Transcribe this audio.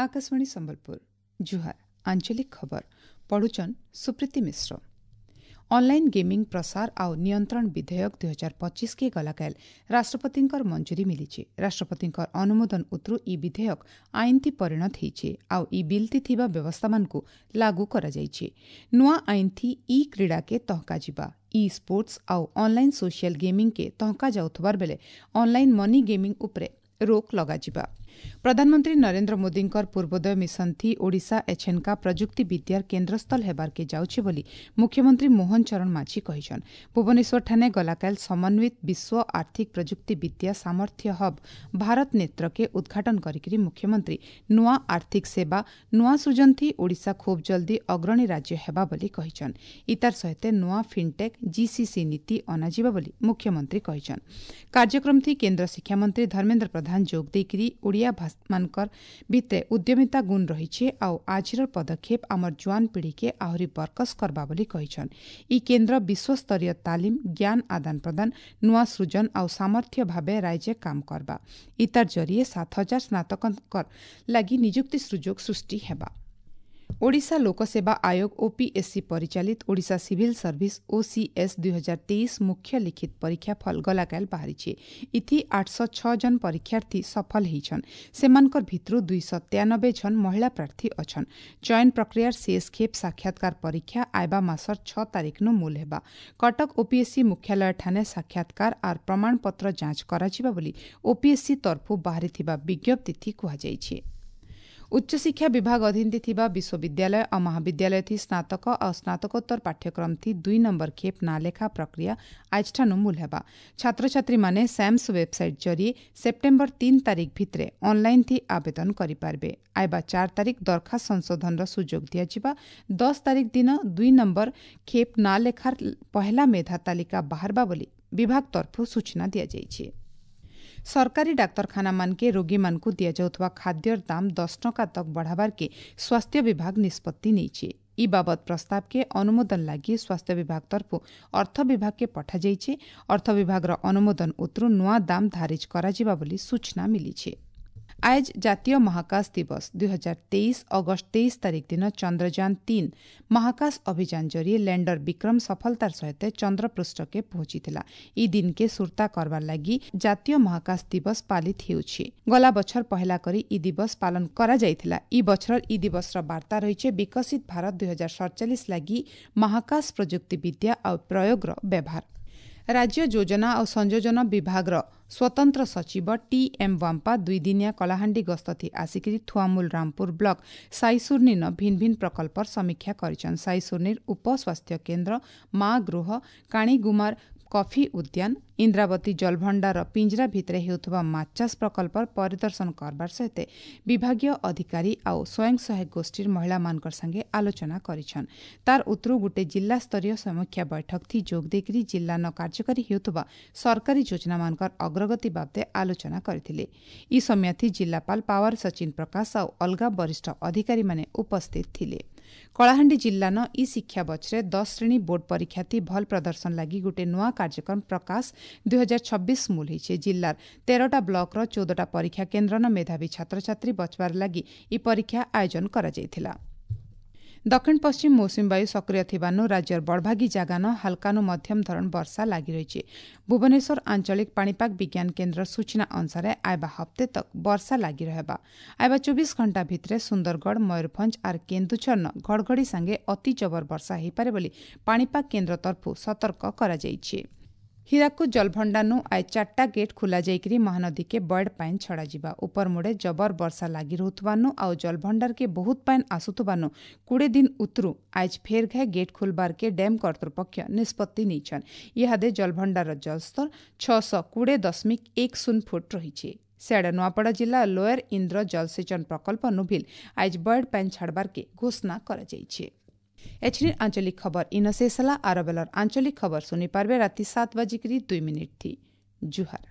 आकाशवाणी संबलपुर। जुहार। आंचलिक खबर पढ़ुचन सुप्रीति मिश्र। Online gaming प्रसार आउ नियंत्रण विधेयक 2025 के गलाकाल राष्ट्रपतिंकर मंजूरी मिलिছে। राष्ट्रपतिंकर अनुमोदन उतरू इ विधेयक आइनथि परिणत ହେଇছে आउ इ बिलति थिबा व्यवस्थामानकु लागू କରାଯାଇଛି। ନୂଆ ଆଇନଥି ଇ କ୍ରୀଡ଼ାକେ ତହକା ଯିବା, ଇ ସ୍ପୋର୍ଟସ ଆଉ ଅନଲାଇନ୍ ସୋସିଆଲ ଗେମିଂ କେ ତହକା ଯାଉଥିବାର ବେଲେ ଅନଲାଇନ୍ ମନି ଗେମିଂ ଉପରେ ରୋକ ଲଗାଯିବା। ପ୍ରଧାନମନ୍ତ୍ରୀ ନରେନ୍ଦ୍ର ମୋଦୀଙ୍କର ପୂର୍ବୋଦୟ ମିଶନ ଥି ଓଡ଼ିଶା ଏଛେନକା ପ୍ରଯୁକ୍ତି ବିଦ୍ୟାର କେନ୍ଦ୍ରସ୍ଥଳ ହେବାରକେ ଯାଉଛି ବୋଲି ମୁଖ୍ୟମନ୍ତ୍ରୀ ମୋହନ ଚରଣ ମାଝୀ କହିଛନ୍। ଭୁବନେଶ୍ୱରଠାନେ ଗଲାକାଲ ସମନ୍ୱିତ ବିଶ୍ୱ ଆର୍ଥିକ ପ୍ରଯୁକ୍ତି ବିଦ୍ୟା ସାମର୍ଥ୍ୟ ହବ୍ ଭାରତ ନେତ୍ରକେ ଉଦ୍ଘାଟନ କରିକିରି ମୁଖ୍ୟମନ୍ତ୍ରୀ ନୂଆ ଆର୍ଥିକ ସେବା, ନୂଆ ସୃଜନ ଥି ଓଡ଼ିଶା ଖୁବ୍ ଜଲ୍ଦି ଅଗ୍ରଣୀ ରାଜ୍ୟ ହେବା ବୋଲି କହିଛନ୍। ଇତାର ସହିତ ନୂଆ ଫିନ୍ଟେକ୍ ଜିସିସି ନୀତି ଅଣାଯିବ ବୋଲି ମୁଖ୍ୟମନ୍ତ୍ରୀ କହିଛନ୍। କାର୍ଯ୍ୟକ୍ରମ ଥି କେନ୍ଦ୍ର ଶିକ୍ଷାମନ୍ତ୍ରୀ ଧର୍ମେନ୍ଦ୍ର ପ୍ରଧାନ ଯୋଗ ଦେଇକିରି ଓଡ଼ିଆ ମାନଙ୍କର ଭିତରେ ଉଦ୍ୟମିତା ଗୁଣ ରହିଛି ଆଉ ଆଜିର ପଦକ୍ଷେପ ଆମର ଜୁଆନ ପିଢ଼ିକେ ଆହୁରି ବରକସ କରବା ବୋଲି କହିଛନ୍। ଇ କେନ୍ଦ୍ର ବିଶ୍ୱସ୍ତରୀୟ ତାଲିମ, ଜ୍ଞାନ ଆଦାନ ପ୍ରଦାନ, ନୂଆ ସୃଜନ ଆଉ ସାମର୍ଥ୍ୟ ଭାବେ ରାଜ୍ୟ କାମ କରବା। ଇତାର ଜରିଏ 7000 ସ୍ନାତକଙ୍କର ଲାଗି ନିଯୁକ୍ତି ସୁଯୋଗ ସୃଷ୍ଟି ହେବା। ଓଡ଼ିଶା ଲୋକସେବା ଆୟୋଗ ଓପିଏସ୍ସି ପରିଚାଳିତ ଓଡ଼ିଶା ସିଭିଲ୍ ସର୍ଭିସ ଓସିଏସ୍ 2023 ମୁଖ୍ୟ ଲିଖିତ ପରୀକ୍ଷା ଫଳ ଗଲାକାଲ ବାହାରିছে। ଇଥି 806 ଜଣ ପରୀକ୍ଷାର୍ଥୀ ସଫଳ ହେଇଛନ୍। ସେମାନଙ୍କର ଭିତରୁ 293 ଜଣ ମହିଳା ପ୍ରାର୍ଥୀ ଅଛନ୍। ଚୟନ ପ୍ରକ୍ରିୟାର ଶେଷ ଖେପ ସାକ୍ଷାତକାର ପରୀକ୍ଷା ଆଇବା ମାସର 6 ତାରିଖନୁ ମୂଲ ହେବା। କଟକ ଓପିଏସ୍ସି ମୁଖ୍ୟାଳୟ ଠାନେ ସାକ୍ଷାତକାର ଆର୍ ପ୍ରମାଣପତ୍ର ଯାଞ୍ଚ କରାଯିବା ବୋଲି ଓପିଏସ୍ସି ତରଫୁ ବାହାରିଥିବା ବିଜ୍ଞପ୍ତିଥି କୁହାଯାଇଛି। ଉଚ୍ଚଶିକ୍ଷା ବିଭାଗ ଅଧୀନରେ ଥିବା ବିଶ୍ୱବିଦ୍ୟାଳୟ ଆଉ ମହାବିଦ୍ୟାଳୟ ଥି ସ୍ନାତକ ଆଉ ସ୍ନାତକୋତ୍ତର ପାଠ୍ୟକ୍ରମ ଥି 2 ନମ୍ବର ଖେପ ନାଁ ଲେଖା ପ୍ରକ୍ରିୟା ଆଜଠାନୁ ମୂଲ ହେବା। ଛାତ୍ରଛାତ୍ରୀମାନେ ସ୍ୟାମ୍ସ ୱେବସାଇଟ୍ ଜରିଏ ସେପ୍ଟେମ୍ବର 3 ତାରିଖ ଭିତରେ ଅନଲାଇନ୍ ଥି ଆବେଦନ କରିପାରିବେ। ଆଇବା 4 ତାରିଖ ଦରଖାସ୍ତ ସଂଶୋଧନର ସୁଯୋଗ ଦିଆଯିବା। 10 ତାରିଖ ଦିନ 2 ନମ୍ବର ଖେପ ନାଁ ଲେଖାର ପହେଲା ମେଧା ତାଲିକା ବାହାରବା ବୋଲି ବିଭାଗ ତରଫରୁ ସୂଚନା ଦିଆଯାଇଛି। ସରକାରୀ ଡାକ୍ତରଖାନାମାନକେ ରୋଗୀମାନଙ୍କୁ ଦିଆଯାଉଥିବା ଖାଦ୍ୟର ଦାମ 10 ଟଙ୍କା ତକ୍ ବଢ଼ାବାରକେ ସ୍ୱାସ୍ଥ୍ୟ ବିଭାଗ ନିଷ୍ପତ୍ତି ନେଇଛି। ଇ ବାବଦ ପ୍ରସ୍ତାବକେ ଅନୁମୋଦନ ଲାଗି ସ୍ୱାସ୍ଥ୍ୟ ବିଭାଗ ତରଫୁ ଅର୍ଥ ବିଭାଗକେ ପଠାଯାଇଛି। ଅର୍ଥ ବିଭାଗର ଅନୁମୋଦନ ଉତରୁ ନୂଆ ଦାମ ଧାରିଜ କରାଯିବା ବୋଲି ସୂଚନା ମିଳିଛି। ଆଜ ଜାତୀୟ ମହାକାଶ ଦିବସ। 2023 ଅଗଷ୍ଟ 23 ତାରିଖ ଦିନ ଚନ୍ଦ୍ରଯାନ 3 ମହାକାଶ ଅଭିଯାନ ଜରିଏ ଲ୍ୟାଣ୍ଡର ବିକ୍ରମ ସଫଳତାର ସହିତ ଚନ୍ଦ୍ରପୃଷ୍ଠକେ ପହଞ୍ଚିଥିଲା। ଇ ଦିନକେ ସୁରତା କରବାର ଲାଗି ଜାତୀୟ ମହାକାଶ ଦିବସ ପାଳିତ ହେଉଛି। ଗଲା ବଛର ପହେଲା କରି ଇ ଦିବସ ପାଳନ କରାଯାଇଥିଲା। ଇ ବଛର ଇ ଦିବସର ବାର୍ତ୍ତା ରହିଛି ବିକଶିତ ଭାରତ 2047 ଲାଗି ମହାକାଶ ପ୍ରଯୁକ୍ତିବିଦ୍ୟା ଆଉ ପ୍ରୟୋଗର ବ୍ୟବହାର। ରାଜ୍ୟ ଯୋଜନା ଆଉ ସଂଯୋଜନ ବିଭାଗର ସ୍ୱତନ୍ତ୍ର ସଚିବ ଟି ଏମ୍ ୱାମ୍ପା 2 ଦିନିଆ କଳାହାଣ୍ଡି ଗସ୍ତଥି ଆସିକିରି ଥୁଆମୂଲ ରାମପୁର ବ୍ଲକ ସାଇସୁର୍ନିନ ଭିନ୍ନ ଭିନ୍ନ ପ୍ରକଳ୍ପର ସମୀକ୍ଷା କରିଛନ୍। ସାଇସୁର୍ନିର ଉପ ସ୍ୱାସ୍ଥ୍ୟ କେନ୍ଦ୍ର, ମା ଗୃହ, କାଣିଗୁମାର କଫି ଉଦ୍ୟାନ, ଇନ୍ଦ୍ରାବତୀ ଜଳଭଣ୍ଡାର ପିଞ୍ଜରା ଭିତରେ ହେଉଥିବା ମାଛ ଚାଷ ପ୍ରକଳ୍ପର ପରିଦର୍ଶନ କରବାର ସହିତ ବିଭାଗୀୟ ଅଧିକାରୀ ଆଉ ସ୍ୱୟଂ ସହାୟକ ଗୋଷ୍ଠୀର ମହିଳାମାନଙ୍କର ସାଙ୍ଗେ ଆଲୋଚନା କରିଛନ୍। ତାର ଉତ୍ତରୁ ଗୋଟେ ଜିଲ୍ଲାସ୍ତରୀୟ ସମୀକ୍ଷା ବୈଠକ ଥି ଯୋଗ ଦେଇକରି ଜିଲ୍ଲାନ କାର୍ଯ୍ୟକାରୀ ହେଉଥିବା ସରକାରୀ ଯୋଜନାମାନଙ୍କର ଅଗ୍ରଗତି ବାବଦେ ଆଲୋଚନା କରିଥିଲେ। ଇ ସମୟଥି ଜିଲ୍ଲାପାଳ ପାୱାର ସଚିନ ପ୍ରକାଶ ଆଉ ଅଲଗା ବରିଷ୍ଠ ଅଧିକାରୀମାନେ ଉପସ୍ଥିତ ଥିଲେ। କଳାହାଣ୍ଡି ଜିଲ୍ଲାନ ଇ ଶିକ୍ଷା ବଛରେ 10 ଶ୍ରେଣୀ ବୋର୍ଡ ପରୀକ୍ଷାଥି ଭଲ ପ୍ରଦର୍ଶନ ଲାଗି ଗୋଟେ ନୂଆ କାର୍ଯ୍ୟକ୍ରମ ପ୍ରକାଶ 2026 ମୂଲ ହେଇছে। ଜିଲ୍ଲାର 13ଟା ବ୍ଲକର 14ଟା ପରୀକ୍ଷା କେନ୍ଦ୍ରନ ମେଧାବୀ ଛାତ୍ରଛାତ୍ରୀ ବଚବାର ଲାଗି ଇ ପରୀକ୍ଷା ଆୟୋଜନ କରାଯାଇଥିଲା। ଦକ୍ଷିଣ ପଶ୍ଚିମ ମୌସୁମୀ ବାୟୁ ସକ୍ରିୟ ଥିବାରୁ ରାଜ୍ୟର ବଡ଼ଭାଗୀ ଜାଗାନ ହାଲକାନୁ ମଧ୍ୟମ ଧରଣ ବର୍ଷା ଲାଗି ରହିଛି। ଭୁବନେଶ୍ୱର ଆଞ୍ଚଳିକ ପାଣିପାଗ ବିଜ୍ଞାନ କେନ୍ଦ୍ର ସୂଚନା ଅନୁସାରେ ଆଇବା ହପ୍ତେ ତକ୍ ବର୍ଷା ଲାଗି ରହିବା। ଆଇବା 24 ଘଣ୍ଟା ଭିତରେ ସୁନ୍ଦରଗଡ଼, ମୟୂରଭଞ୍ଜ ଆର୍ କେନ୍ଦୁଝରନ ଘଡ଼ଘଡ଼ି ସାଙ୍ଗେ ଅତି ଜବର ବର୍ଷା ହୋଇପାରେ ବୋଲି ପାଣିପାଗ କେନ୍ଦ୍ର ତରଫରୁ ସତର୍କ କରାଯାଇଛି। ହୀରାକୁଦ ଜଳଭଣ୍ଡାରନୁ ଆଜ 4ଟା ଗେଟ୍ ଖୋଲା ଯାଇକରି ମହାନଦୀକେ ବଏଡ୍ ପାଏନ୍ ଛଡ଼ାଯିବା। ଉପରମୁଡ଼େ ଜବର ବର୍ଷା ଲାଗି ରହୁଥିବାନୁ ଆଉ ଜଳଭଣ୍ଡାରକେ ବହୁତ ପାଏନ୍ ଆସୁଥିବାନୁ 20 ଦିନ ଉତରୁ ଆଜ ଫେର୍ ଘାଏ ଗେଟ୍ ଖୋଲବାରକେ ଡ୍ୟାମ୍ କର୍ତ୍ତୃପକ୍ଷ ନିଷ୍ପତ୍ତି ନେଇଛନ୍। ଇହାଦେ ଜଳଭଣ୍ଡାରର ଜଳସ୍ତର 620.10 ଫୁଟ ରହିଛି। ସିଆଡ଼େ ନୂଆପଡ଼ା ଜିଲ୍ଲା ଲୋୟର ଇନ୍ଦ୍ର ଜଳସେଚନ ପ୍ରକଳ୍ପ ନୁଭିଲ ଆଜ ବଏଡ୍ ପାଏନ୍ ଛାଡ଼ବାରକେ ଘୋଷଣା କରାଯାଇଛି। ଏଛିନି ଆଞ୍ଚଳିକ ଖବର ଇନ ଶେଷ ହେଲା। ଆର ବେଲର ଆଞ୍ଚଳିକ ଖବର ଶୁଣିପାରିବେ ରାତି 7:02 ଥି। ଜୁହାର।